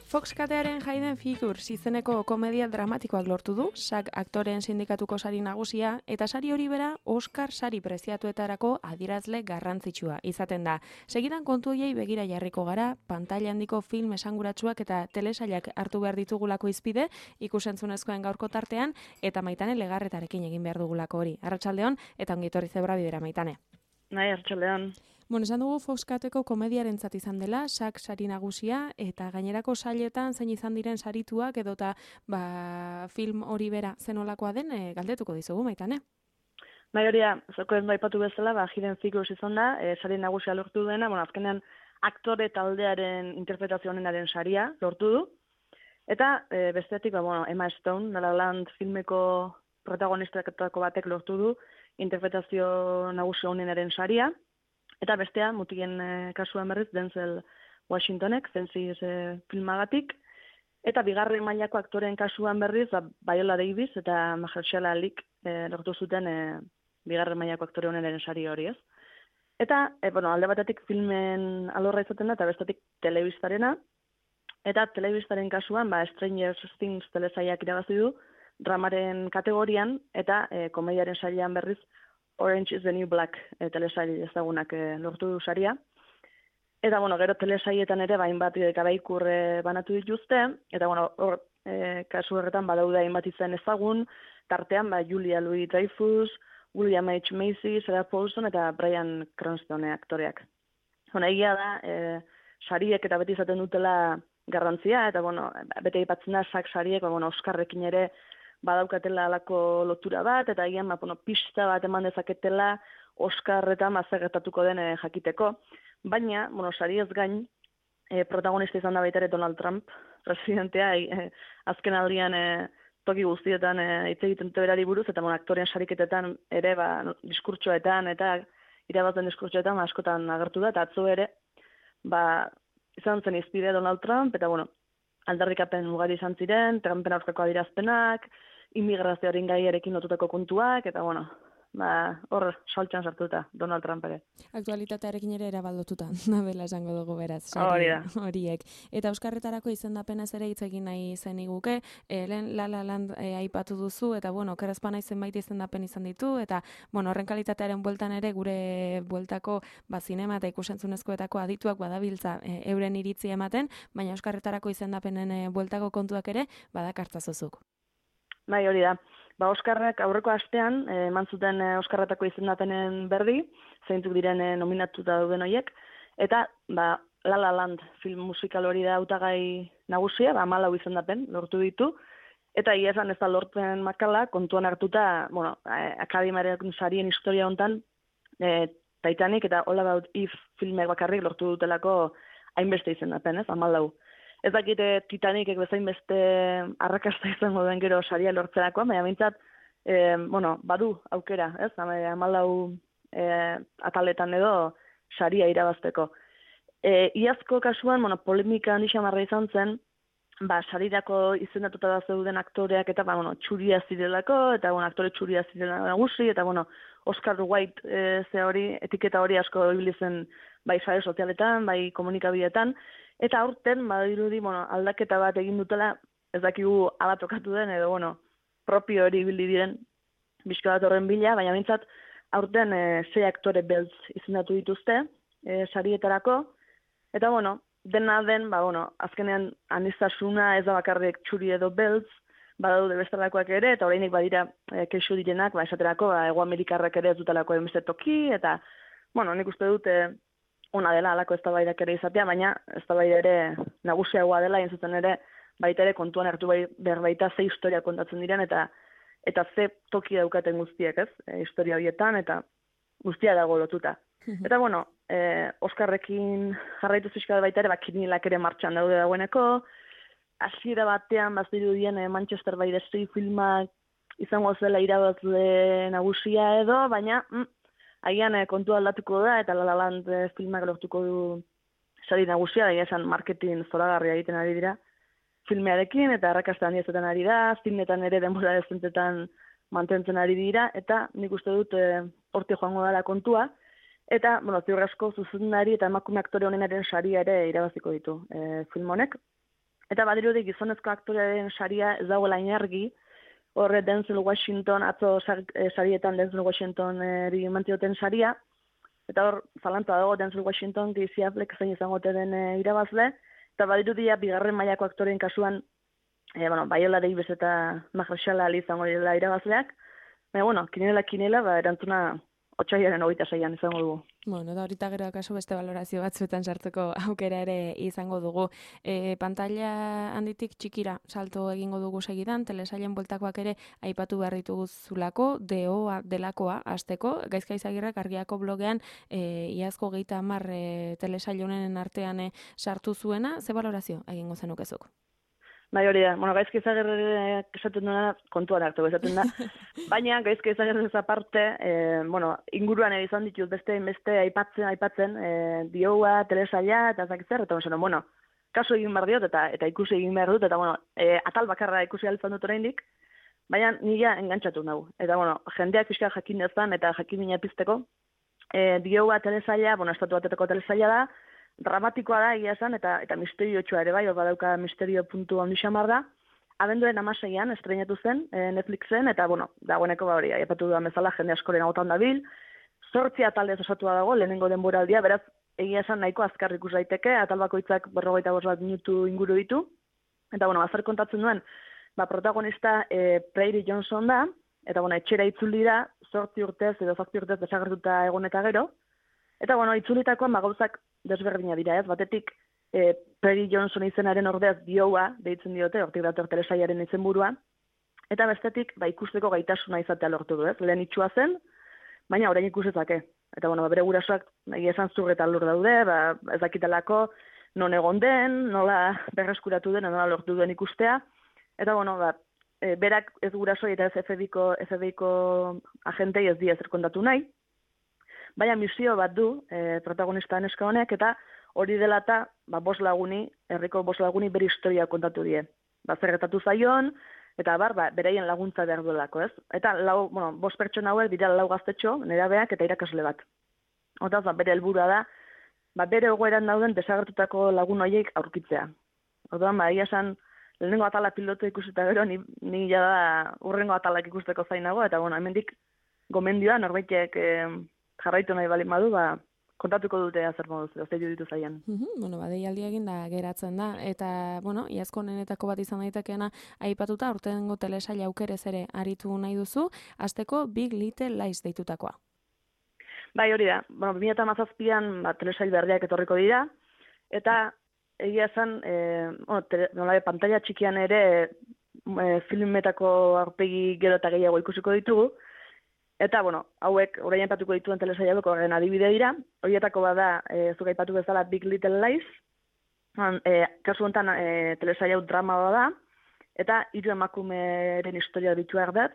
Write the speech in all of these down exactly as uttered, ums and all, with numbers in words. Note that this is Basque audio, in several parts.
Fox katearen Hidden Figures izeneko komedia dramatikoak lortu du, SAG aktoreen sindikatuko sari nagusia, eta sari hori bera Oscar sari preziatuetarako adierazle garrantzitsua izaten da. Segidan kontu horiei begira jarriko gara, pantaila handiko film esanguratsuak eta telesailak hartu behar ditugulako izpide, ikusentzunezkoen gaurko tartean, eta Maitane Legarretarekin egin behar dugulako hori. Arratsaldeon eta ongitorri zebra bidera, Maitane. Nahi, arratsaldeon. Bueno, esan dugu Foxkateko komediarentzat izan dela, SAG sari nagusia, eta gainerako sailetan zein izan diren sarituak edota ba, film hori bera zenolakoa den e, galdetuko dizugu, Maitane. Bai, hori da, zoko ez baipatu bezala, ba, Hidden Figures izan da, e, sari nagusia lortu duena, bueno, azkenean aktore taldearen interpretazio honenaren saria lortu du, eta e, bestetik, ba, bueno, Emma Stone, La La Land filmeko protagonistaketako batek lortu du interpretazio nagusia honenaren saria, eta bestea, mutigen e, kasuan berriz, Denzel Washingtonek, Fences e, filmagatik, eta bigarren mailako aktoreen kasuan berriz, ba, Viola Davis eta Mahershala Alik e, lortu zuten e, bigarren mailako aktore honenaren sari hori, ez? Eta, e, bueno, alde batetik filmen alorra izaten da, eta bestetik telebistarena, eta telebistaren kasuan, ba, Stranger Things telesaiak irabazi du, dramaren kategorian, eta e, komediaren sailean berriz, Orange is the New Black e, telesail ezagunak e, lortu du saria. Eta, bueno, gero telesaietan ere, bain bat garaikur e, banatu dituzte, eta, bueno, hor, e, kasu horretan badaude hainbat izen ezagun, tartean, ba, Julia Louis-Dreyfus, William H. Macy, Sarah Paulson eta Bryan Cranston aktoreak. Bueno, egia da, e, sariek eta beti izaten dutela garrantzia, eta, bueno, beti aipatzen da, SAG sariek, ba, bueno, Oscarrekin ere, badaukatela alako lotura bat, eta egian, ba, bueno, pista bat eman dezaketela Oscarretan mazagertatuko den e, jakiteko. Baina, bueno, sari ez gain, e, protagonista izan da baita ere Donald Trump, presidentea, e, azken aldian e, toki guztietan hitz e, egiten berari buruz, eta bueno, aktoreen sariketetan ere, ba, diskurtsoetan, eta irabazten diskurtsoetan askotan agertu da, eta atzo ere, ba, izan zen izpide Donald Trump, eta bueno, aldarrikapen ugari izan ziren, Trumpen aurkako adirazpenak, immigrazioaren gaiarekin lotutako kontuak, eta bueno, ba, hor saltxan sartuta Donald Trump ere. Aktualitatearekin ere erabaldotuta, nabela esango dugu beraz, sari horiek. Eta Euskarretarako izendapenaz ere hitz egin nahi zen iguke, e, lehen La La Land e, aipatu duzu, eta bueno, kerazpana zenbait izendapen izan ditu, eta bueno, horren kalitatearen bueltan ere gure bueltako ba, zinema eta ikusentzunezkoetako adituak badabiltza e, euren iritzi ematen, baina Euskarretarako izendapenen e, bueltako kontuak ere badakartzazuzuk. Bai, hori da. Ba, Oskarrak aurreko astean, eman eh, zuten eh, Oskarretako izendapenen berri, zeintzuk diren eh, nominatuta dauden horiek, eta ba, La La Land film musikal hori da hautagai nagusia, ba, hamalau izendapen lortu ditu, eta ia esan ez da lortzen makala, kontuan hartuta, bueno, eh, akademiaren sarien historia hontan, eh, Titanic eta All About Eve filmek bakarrik lortu dutelako hainbeste izendapen, ez, hamalau. Ez dakite Titanicek bezain beste arrakasta izango den gero saria lortzerakoa, baina bintzat, e, bueno, badu aukera, ez? Hamalau e, ataletan edo saria irabazteko. E, iazko kasuan, bueno, polemika handi xamarra izan zen, ba, sarirako izendatuta da zeuden aktoreak eta, ba, bueno, txuria zirelako, eta, bueno, aktore txuria zirela nagusi, eta, bueno, Oscar White e, ze hori, etiketa hori asko ibili zen bai sare sozialetan, bai komunikabideetan, eta aurten, badirudi, bueno, aldaketa bat egin dutela, ez dakigu ala tokatu den, edo, bueno, propio hori ibili diren bizka bat horren bila, baina bintzat, aurten e, sei aktore beltz izendatu dituzte, e, sarietarako, eta, bueno, dena den, ba, bueno, azkenean aniztasuna ez da bakarrik txuri edo beltz, badaude bestelakoak ere, eta orainik badira e, kexu direnak, ba, esaterako, ba, Hego Amerikarrak ere ez dutelako enbeste toki, eta, bueno, nik uste dute, ona dela alako eztabaidak ere izatea, baina eztabaida ere nagusiagoa dela, entzuten ere baita ere kontuan hartu bai, behar baita ze historia kontatzen diren, eta eta ze toki daukaten guztiek, ez? E, historia horietan, eta guztia dago lotuta. Eta, bueno, e, Oskarrekin jarraitu zizkada baita ere, bakinilak ere martxan daude dagoeneko, hasiera batean bazirudien e, Manchester by the Sea filmak izango zela irabazle nagusia edo, baina mm, agian eh, kontu aldatuko da, eta La La Land eh, filmak lortuko du sari nagusia, da esan marketing zoragarria egiten ari dira filmearekin, eta arrakasta handia izaten ari da, zinetan ere denbora dezentetan mantentzen ari dira, eta nik uste dut eh, horti joango dela kontua, eta, bueno, ziur asko zuzendari eta emakume aktore honenaren saria ere irabaziko ditu eh, film honek. Eta badirudi gizonezko aktorearen saria ez dagoela inargi, horre Denzel Washington, atzo sarietan Denzel Washington eri mantioten saria, eta hor, zalantza dago Denzel Washington, Casey Affleck zein izango den e, irabazle, eta badirudia bigarren mailako aktoreen kasuan, e, bueno, Viola Davis eta Mahershala Ali izango dira irabazleak, baina, bueno, kinela, kinela, ba, erantzuna otsailaren hogeita seian izango dugu. Bueno, da horita gero akaso beste valorazio batzuetan sartzeko aukera ere izango dugu. E, pantalla handitik txikira salto egingo dugu segidan, telesailen bueltakoak ere aipatu behar dituguzulako, deoa delakoa hasteko. Gaizka Izagirrek Argiako blogean e, iazko geita hamar e, telesail honen artean e, sartu zuena, ze valorazio egingo zenukezuk? Bai, hori da. Bueno, Gaizka Izagirrek esaten duena kontuan hartu esaten da. Baina Gaizka Izagirrek aparte, eh, bueno, inguruan ere izan ditut beste beste aipatzen, aipatzen, eh, dioa, telesaila eta zakitzer, eta bueno, kasu egin behar diot eta eta ikusi egin behar dut, eta bueno, eh, atal bakarra ikusi altzan dut oraindik, baina nila engantzatu nahu. Eta bueno, jendeak pixka jakin dezan eta jakin mina pizteko, eh, dioa telesaila, bueno, estatu batetako telesaila da, dramatikoa da egia esan, eta eta misteriotsua ere bai, hor badauka misterio puntu handi xamar da. Abenduaren hamaseian estreinatu zen e, Netflixen, eta bueno, dagoeneko ba hori, aipatu dudan bezala jende askoren agotan dabil. Zortzi ataldez osatua dago, lehenengo denboraldia, beraz, egia esan nahiko azkar ikus daiteke, atal bakoitzak berrogeita bost bat minutu inguru ditu. Eta bueno, azar kontatzen duen, ba, protagonista e, Prairie Johnson da, eta bueno, etxera itzuli da, zortzi urtez edo zazpi urtez desagertuta egon eta gero. Eta bueno, itzulitakoan ba, gauzak desberdina dira, ez? Batetik, e, Prairie Johnson izenaren ordeaz dioa, deitzen diote, hortik dator telesaiaren izenburua, eta bestetik, ba, ikusteko gaitasuna izatea lortu du, ez? Lehen itxua zen, baina orain ikusezake. Eta bueno, ba, bere gurasoak nahi esan zur eta lur daude, ba, ez dakitelako non egon den, nola berreskuratu den, nola lortu duen ikustea, eta bueno, ba, e, berak ez gurasoi eta ez F B I-ko, F B I-ko agentei ez di ezer kontatu nahi, baina misio bat du e, protagonista neska honek, eta hori dela eta ba, bost laguni, herriko bost laguni bere historia kontatu die. Ba, zer gertatu zaion, eta bar, ba, beraien laguntza behar duelako, ez? Eta lau, bueno, bost pertsona hauek dira lau gaztetxo, nerabeak eta irakasle bat. Otaz, ba, bere helburua da, ba, bere egoeran dauden desagertutako lagun horiek aurkitzea. Orduan, ba, egia esan, lehenengo atala piloto ikusita gero, ni, ni jada urrengo atalak ikusteko zainago, eta bueno, hemendik gomendioa, norbaitek eh, jarraitu nahi bali madu, ba, kontatuko dute zer moduz, zer ditu zaian. Uh-huh, bueno, ba, deialdia egin da geratzen da, eta, bueno, iazko honenetako bat izan daitekeena aipatuta, urtengo telesaila aukerez ere aritu nahi duzu, hasteko Big Little Lies deitutakoa. Bai, hori da. Bueno, bi mila hamazazpian ba, telesail berriak etorriko dira, eta egia esan, e, bueno, tele, nola, pantalla txikian ere e, filmetako aurpegi gero eta gehiago ikusiko ditugu, eta, bueno, hauek orain aipatuko dituen telesailak horren adibide dira, horietako bada, e, zuk aipatu bezala Big Little Lies, e, kasu honetan e, telesail hau drama da, eta hiru emakumeren historia ditu erdatz,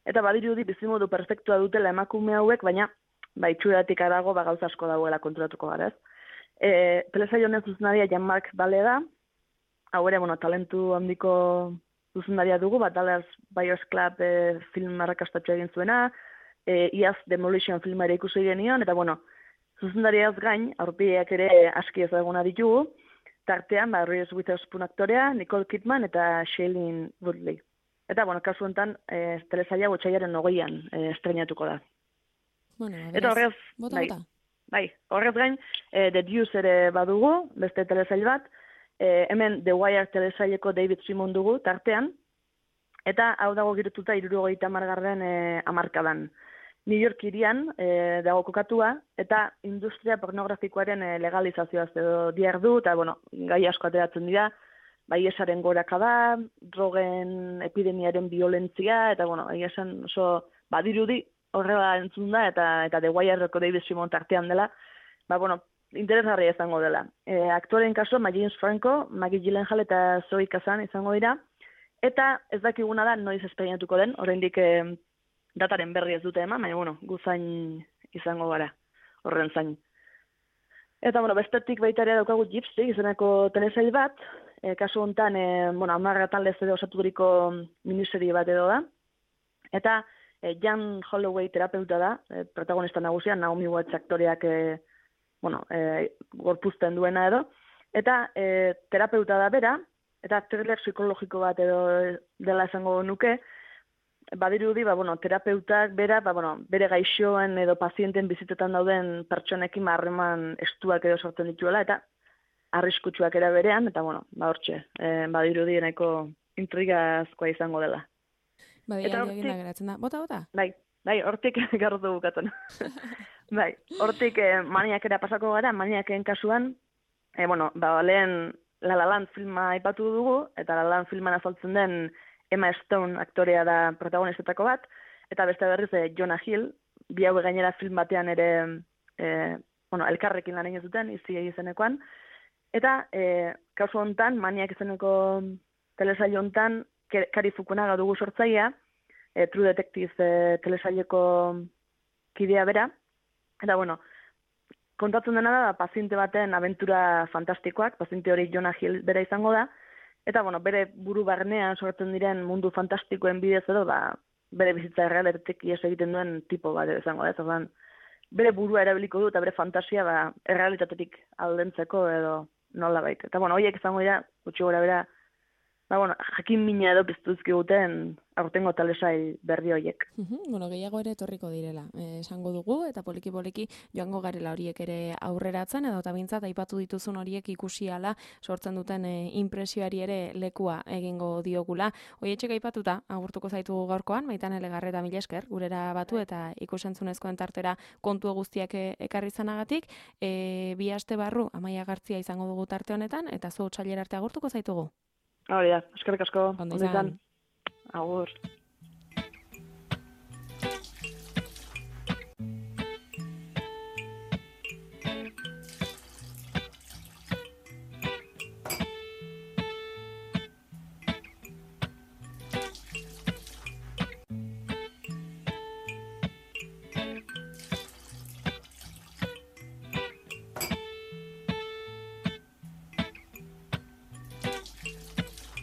eta badirudi bizimodu perfektua dutela emakume hauek, baina ba, itxuratik arago ba, gauza asko dagoela konturatuko gara, ez? E, telesail honen zuzenaria Jean-Marc Vallée da, hau ere, bueno, talentu handiko zuzendaria dugu, bat Dallas Buyers Club e, film arrakastatxo egin zuena, e, iaz Demolition filma ere ikusi genion, eta bueno, zuzendariaz gain, aurpegiak ere aski ezaguna ditugu, tartean, ba, Reese Witherspoon aktorea, Nicole Kidman eta Shailene Woodley. Eta, bueno, kasu honetan, e, telesaila otsailaren hogeian e, estreinatuko da. Bueno, eta horrez, bota, bai, bota. bai, horrez gain, e, The Deuce ere badugu, beste telesail bat, E, hemen The Wire telesaileko David Simon dugu, tartean, eta hau dago girotuta hirurogeita hamargarren e, hamarkadan. New York hirian e, dago kokatua, eta industria pornografikoaren e, legalizazioaz edo diardu, eta bueno, gai asko ateratzen dira, bai esaren gorakada, drogen epidemiaren violentzia, eta bueno, egia esan oso badirudi horrela entzun da, eta, eta The Wireko David Simon tartean dela, ba bueno, interesgarria izango dela. E, aktoren kaso, James Franco, Maggie Gyllenhaal eta Zoe Kazan izango dira, eta ez dakiguna da noiz esperientuko den, oraindik e, dataren berri ez dute eman, baina bueno, guzain izango gara, horren zain. Eta bueno, bestetik baita ere daukagu Gypsy, izeneko telesail bat, e, kasu honetan, e, bueno, amarra taldez edo osaturiko miniserie bat edo da, eta e, Jan Holloway terapeuta da, e, protagonista nagusia, Naomi Watts aktoreak e, bueno, e, gorpuzten duena edo, eta e, terapeuta da bera, eta thriller psikologiko bat edo dela esango nuke, badirudi, ba, bueno, terapeutak bera, ba, bueno, bere gaixoen edo pazienten bizitetan dauden pertsonekin harreman estuak edo sortzen dituela, eta arriskutsuak era berean, eta, bueno, ba, hortxe, e, badirudi nahiko intrigazkoa izango dela. Badi, aldi egin da geratzen da. Bota, bota? Bai, bai, hortik garrotu bukatzen. Bai, hortik eh, maniakera pasako gara, maniaken kasuan, eh, bueno, ba, lehen La La Land filma aipatu dugu, eta La La Land filman azaltzen den Emma Stone aktorea da protagonistetako bat, eta beste berriz eh, Jonah Hill, bi hau gainera film batean ere eh, bueno, elkarrekin lan egin zuten, izi izenekoan, eta eh, kasu hontan, maniak izeneko telesaio hontan, Kari Fukunaga dugu sortzailea, e, True Detective e, telesaileko kidea bera, eta bueno, kontatzen dena da, paziente baten abentura fantastikoak, paziente hori Jonah Hill bera izango da, eta bueno, bere buru barnean sortzen diren mundu fantastikoen bidez edo, ba, bere bizitza errealitatetik ies egiten duen tipo bat izango da, ez bere burua erabiliko du eta bere fantasia ba, errealitatetik aldentzeko edo nola baita. Eta bueno, horiek izango dira, gutxi gora bera, ba, bueno, jakin mina edo piztuzki guten aurtengo talesai berri horiek. Uhum, bueno, gehiago ere etorriko direla, eh, esango dugu, eta poliki-poliki joango garela horiek ere aurreratzen, edo eta bintzat aipatu dituzun horiek ikusiala sortzen duten eh, impresioari ere lekua egingo diogula. Hoietxek aipatuta, agurtuko zaitu gaurkoan, Maitan Elegarreta mila esker, gurera batu eta ikusentzunezkoen tartera kontu guztiak ekarri zanagatik, e, bi aste barru Amaia Gartzia izango dugu tarte honetan, eta zu otsailera arte agurtuko zaitugu. Hori da, eskerrik asko. Ondo izan. Agur.